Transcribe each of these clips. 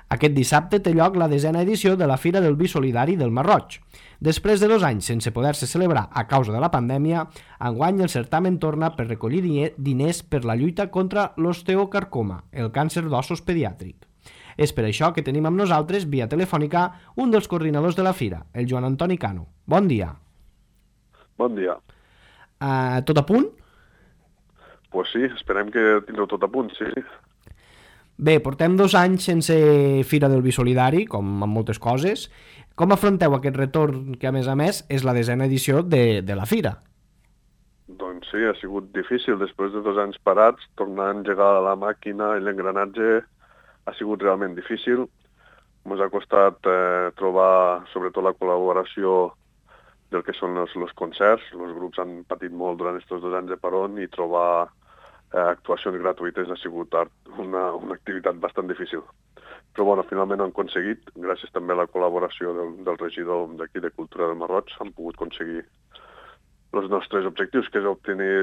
Aquest dissabte té lloc la 10a edició de la Fira del Vi Solidari del Masroig. Després de 2 anys sense poder-se celebrar a causa de la pandèmia, enguany el certamen torna per recollir diners per la lluita contra l'osteocarcoma, el càncer d'ossos pediàtric. És per això que tenim amb nosaltres, via telefònica, un dels coordinadors de la fira, el Joan Antoni Cano. Bon dia. Bon dia. Tot a punt? Pues sí, esperem que tindreu tot a punt, sí. Bé, portem 2 anys sense Fira del Vi Solidari, com amb moltes coses. Com afronteu aquest retorn que, a més, és la 10a edició de la fira? Doncs sí, ha sigut difícil. Després de 2 anys parats, tornar a engegar la màquina i l'engranatge ha sigut realment difícil. Ens ha costat trobar, sobretot, la col·laboració del que són els concerts. Els grups han patit molt durant aquests 2 anys de parón i trobar actuacions gratuïtes ha sigut una activitat bastant difícil. Però bueno, finalment han aconseguit, gràcies també a la col·laboració del regidor d'aquí de Cultura del Masroig, han pogut aconseguir els nostres objectius, que és obtenir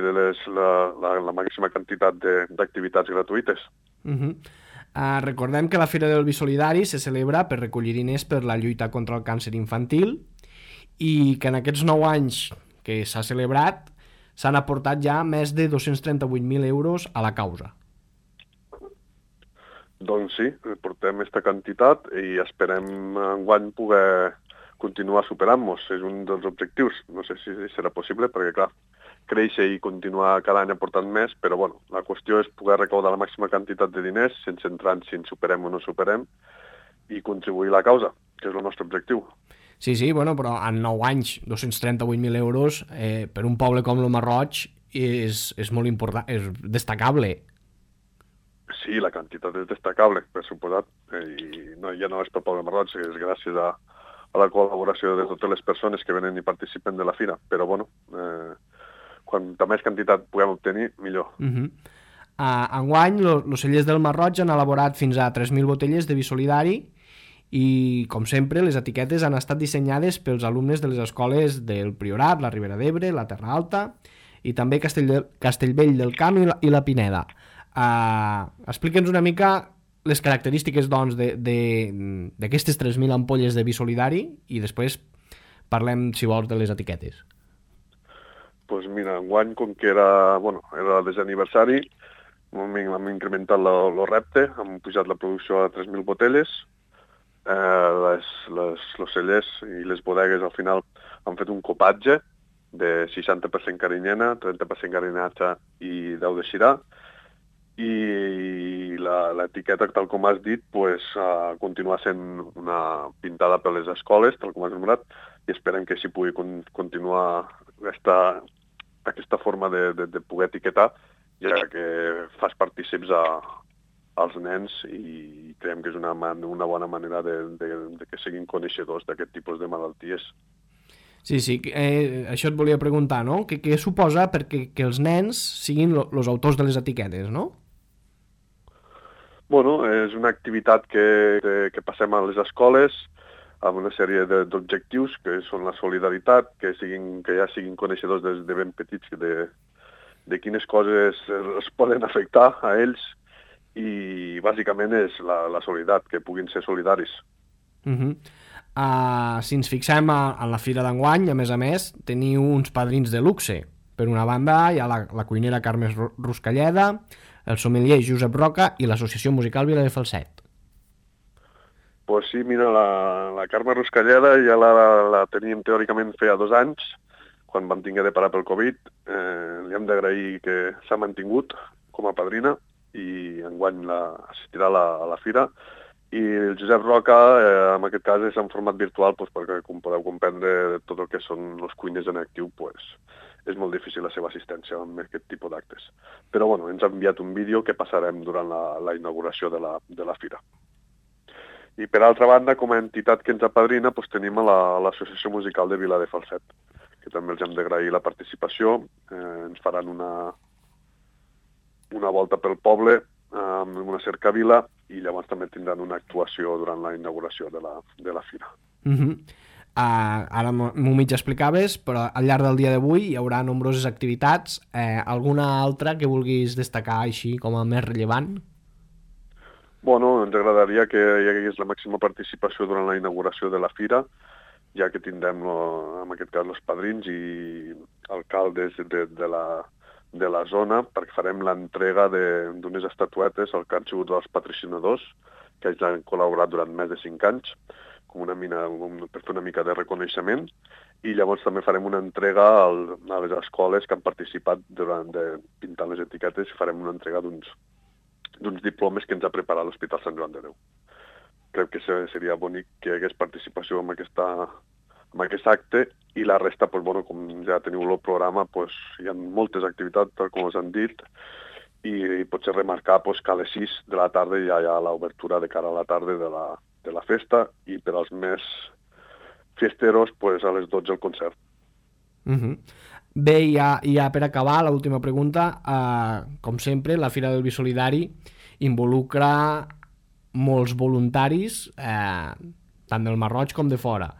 la màxima quantitat d'activitats gratuïtes. Recordem que la Fira del Vi Solidari se celebra per recollir diners per la lluita contra el càncer infantil i que en aquests 9 anys que s'ha celebrat s'han aportat ja més de 238.000 euros a la causa. Doncs sí, portem aquesta quantitat i esperem enguany poder continuar superant-nos. És un dels objectius. No sé si serà possible perquè, clar, créixer i continuar cada any aportant més, però bueno, la qüestió és poder recaudar la màxima quantitat de diners sense entrar en si en superem o no superem i contribuir a la causa, que és el nostre objectiu. Sí, bueno, però en 9 anys, 238.000 euros per un poble com el Masroig és molt important, és destacable. Sí, la quantitat és destacable, per suposat, i ja no és pel poble Masroig, és gràcies a la col·laboració de totes les persones que venen i participen de la fira, però bueno, quanta més quantitat puguem obtenir, millor. Enguany, els cellers del Masroig han elaborat fins a 3.000 botelles de vi solidari i, com sempre, les etiquetes han estat dissenyades pels alumnes de les escoles del Priorat, la Ribera d'Ebre, la Terra Alta i també Castellvell del Camp i la Pineda. Explica'ns una mica les característiques doncs, d'aquestes 3.000 ampolles de vi solidari i després parlem, si vols, de les etiquetes. Doncs mira, enguany, com que era el 10è aniversari, hem incrementat el repte, hem pujat la producció a 3.000 botelles. Els cellers i les bodegues al final han fet un copatge de 60% carinyena, 30% garinatge i 10 de xirà, i l'etiqueta, tal com has dit, continua sent una pintada per les escoles, tal com has enumerat, i esperem que així pugui continuar aquesta forma de poder etiquetar, ja que fas partícips als nens i creiem que és una bona manera de que siguin coneixedors d'aquest tipus de malalties. Sí, això et volia preguntar, no? Què suposa perquè que els nens siguin els autors de les etiquetes, no? Bueno, és una activitat que passem a les escoles amb una sèrie d'objectius que són la solidaritat, que ja siguin coneixedors de ben petits de quines coses es poden afectar a ells, i bàsicament és la solidaritat, que puguin ser solidaris. Si ens fixem en la fira d'enguany, a més, teniu uns padrins de luxe. Per una banda hi ha la cuinera Carme Ruscalleda, el sommelier Josep Roca i l'associació musical Vila de Falset. Pues sí, mira, la Carme Ruscalleda ja la teníem teòricament feia 2 anys, quan vam tinguer de parar pel Covid. Li hem d'agrair que s'ha mantingut com a padrina i enguany assistirà a la fira. I el Josep Roca, en aquest cas, és en format virtual, perquè, com podeu comprendre, tot el que són els cuiners en actiu, és molt difícil la seva assistència en aquest tipus d'actes. Però bueno, ens ha enviat un vídeo que passarem durant la inauguració de la fira. I per altra banda, com a entitat que ens apadrina, tenim l'Associació Musical de Vila de Falset, que també els hem d'agrair la participació. Ens faran una volta pel poble amb una cercavila i llavors també tindran una actuació durant la inauguració de la fira. Ara m'ho mig explicaves, però al llarg del dia d'avui hi haurà nombroses activitats. Alguna altra que vulguis destacar així com a més rellevant? Bueno, ens agradaria que hi hagués la màxima participació durant la inauguració de la fira, ja que tindrem, en aquest cas, els padrins i alcaldes de la zona, perquè farem l'entrega d'unes estatuetes al que han sigut els patrocinadors, que ells han col·laborat durant més de 5 anys, per fer una mica de reconeixement, i llavors també farem una entrega a les escoles que han participat pintant les etiquetes, i farem una entrega d'uns diplomes que ens ha preparat l'Hospital Sant Joan de Déu. Crec que seria bonic que hi hagués participació en aquest acte, i la resta, com ja teniu el programa, hi ha moltes activitats, tal com us han dit, i potser remarcar que a les 6 de la tarda ja hi ha l'obertura de cara a la tarda de la festa, i per als més fiesteros, a les 12 el concert. Bé, ja per acabar, l'última pregunta. Com sempre, la Fira del Vi Solidari involucra molts voluntaris, tant del Masroig com de fora.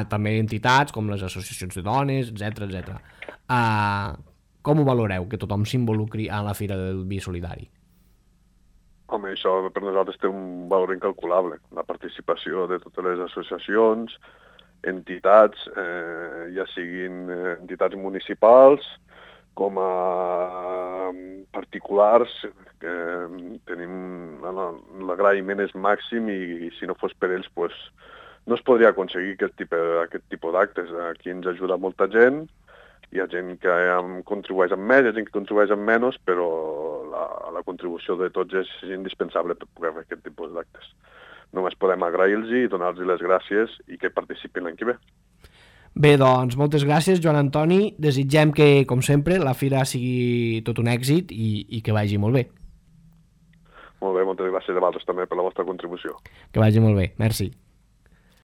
També entitats com les associacions de dones, etc. Com ho valoreu, que tothom s'involucri a la Fira del Vi Solidari? Home, això per nosaltres té un valor incalculable. La participació de totes les associacions, entitats, ja siguin entitats municipals com a particulars, tenim l'agraïment és màxim, i si no fos per ells no es podria aconseguir aquest tipus d'actes. Aquí ens ajuda molta gent, hi ha gent que contribueix amb més, hi ha gent que contribueix amb menys, però la contribució de tots és indispensable per poder fer aquest tipus d'actes. Només podem agrair-los i donar-los les gràcies i que participin l'any que ve. Bé, doncs, moltes gràcies, Joan Antoni. Desitgem que, com sempre, la fira sigui tot un èxit i que vagi molt bé. Molt bé, moltes gràcies a vosaltres també per la vostra contribució. Que vagi molt bé, merci.